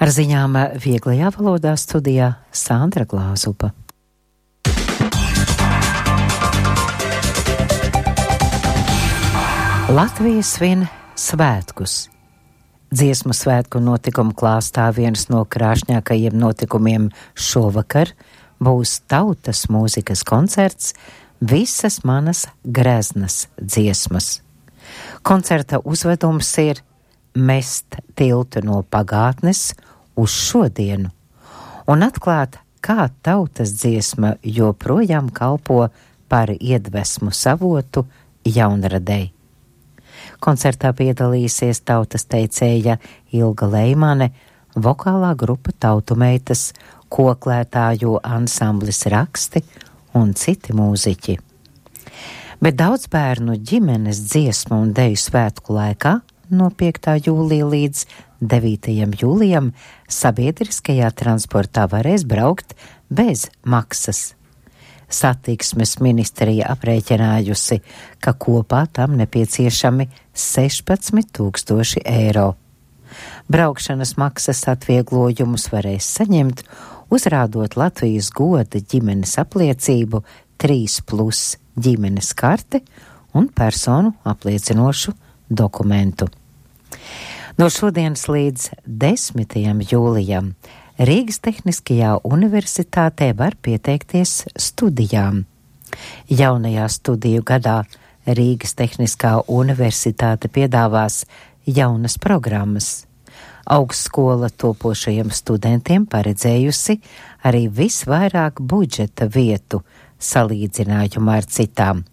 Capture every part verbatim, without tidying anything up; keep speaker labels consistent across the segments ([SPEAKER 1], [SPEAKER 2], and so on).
[SPEAKER 1] Ar ziņām vieglajā valodā studijā Sandra Glāzupa. Latvija svin svētkus. Dziesmu svētku notikumu klāstā viens no krāšņākajiem notikumiem šovakar būs tautas mūzikas koncerts Visas manas greznas dziesmas. Koncerta uzvedums ir mest tiltu no pagātnes uz šodienu un atklāt, kā tautas dziesma joprojām kalpo par iedvesmu savotu jaunradei. Koncertā piedalīsies tautas teicēja Ilga Leimane, vokālā grupa Tautumeitas, koklētāju ansamblis Raksti un citi mūziķi. Bet daudz bērnu ģimenes dziesmu un deju svētku laikā no piektā jūlija līdz devītajam jūlijam sabiedriskajā transportā varēs braukt bez maksas. Satiksmes ministrija aprēķinājusi, ka kopā tam nepieciešami sešpadsmit tūkstoši eiro. Braukšanas maksas atvieglojumus varēs saņemt, uzrādot Latvijas goda ģimenes apliecību trīs plus ģimenes karte un personu apliecinošu dokumentu. No šodienas līdz desmitajam jūlijam Rīgas Tehniskajā universitātē var pieteikties studijām. Jaunajā studiju gadā Rīgas Tehniskā universitāte piedāvās jaunas programmas. Augstskola topošajiem studentiem paredzējusi arī visvairāk budžeta vietu salīdzinājumā ar citām.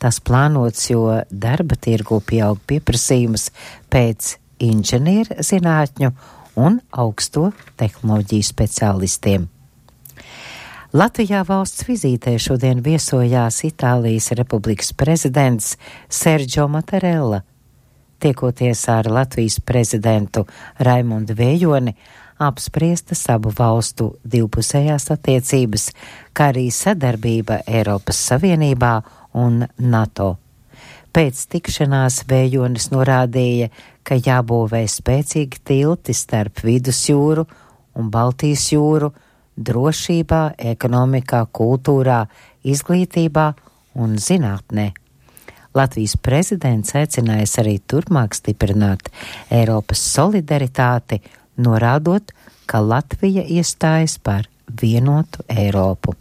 [SPEAKER 1] Tas plānots, jo darba tirgu pieaug pieprasījums pēc inženieru zinātņu un augsto tehnoloģiju speciālistiem. Latvijā valsts vizītē šodien viesojās Itālijas Republikas prezidents Sergio Mattarella. Tiekoties ar Latvijas prezidentu Raimundu Vējoni, apspriestas abu valstu divpusējās attiecības, kā arī sadarbība Eiropas Savienībā un NATO. Pēc tikšanās Vējonis norādīja, ka jābūvē spēcīgi tilti starp Vidusjūru un Baltijas jūru drošībā, ekonomikā, kultūrā, izglītībā un zinātnē. Latvijas prezidents aicinājis arī turpmāk stiprināt Eiropas solidaritāti, norādot, ka Latvija iestājas par vienotu Eiropu.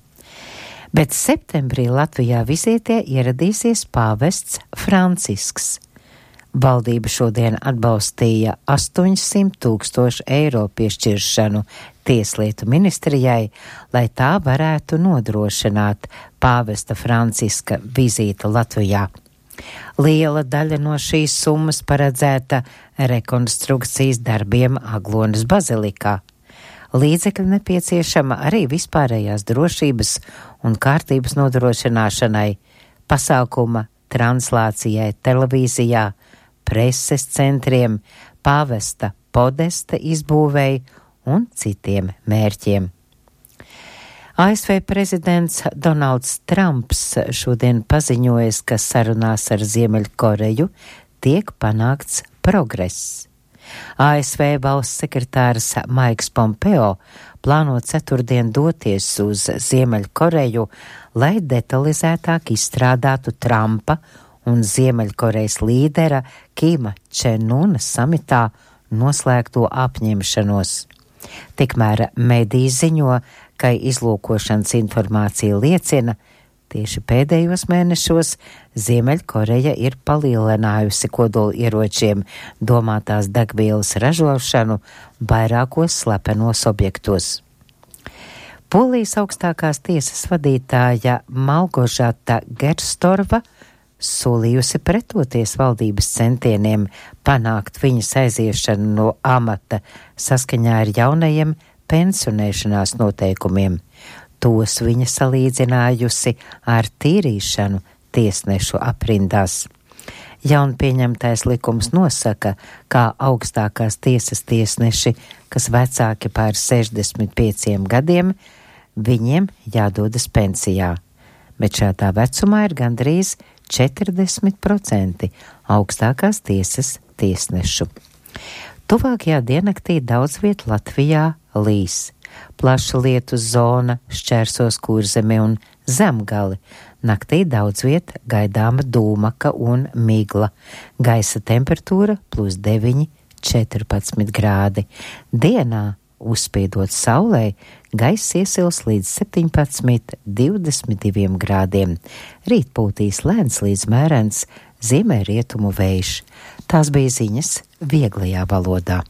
[SPEAKER 1] Bet septembrī Latvijā vizītē ieradīsies pāvests Francisks. Valdība šodien atbalstīja astoņsimt tūkstošu eiro piešķiršanu Tieslietu ministrijai, lai tā varētu nodrošināt pāvesta Franciska vizīti Latvijā. Liela daļa no šīs summas paredzēta rekonstrukcijas darbiem Aglonas bazilikā. Līdzekļi nepieciešama arī vispārējās drošības un kārtības nodrošināšanai, pasākuma translācijai televīzijā, preses centriem, pāvesta podesta izbūvēi un citiem mērķiem. A S V prezidents Donalds Trumps šodien paziņojas, ka sarunās ar Ziemeļkoreju tiek panākts progress. A S V valsts sekretārs Maiks Pompeo plāno ceturtdien doties uz Ziemeļkoreju, lai detalizētāk izstrādātu Trumpa un Ziemeļkorejas līdera Kima Čen-una samitā noslēgto apņemšanos. Tikmēr mediji ziņo, ka izlūkošanas informācija liecina, tieši pēdējos mēnešos Ziemeļkoreja ir palielinājusi kodolieročiem domātās degvielas ražošanu vairākos slepenos objektos. Polijas augstākās tiesas vadītāja Malgožata Gerstorva solījusi pretoties valdības centieniem panākt viņas aiziešanu no amata saskaņā ar jaunajiem pensionēšanās noteikumiem. Tos viņa salīdzinājusi ar tīrīšanu tiesnešu aprindās. Jaunpieņemtais likums nosaka, kā augstākās tiesas tiesneši, kas vecāki pār sešdesmit pieciem gadiem, viņiem jādodas pensijā. Bet šādā vecumā ir gandrīz četrdesmit procenti augstākās tiesas tiesnešu. Tuvākajā diennaktī daudz viet Latvijā līs. Plaša lietus zona šķērsos Kurzemi un Zemgali. Naktī daudz viet gaidāma dūmaka un migla. Gaisa temperatūra plus deviņi, četrpadsmit grādi. Dienā, uzspīdot saulē, gaiss iesils līdz septiņpadsmit, divdesmit diviem grādiem. Rīt pūtīs lēns līdz mērens ziemeļrietumu vējš. Tās bija ziņas vieglajā valodā.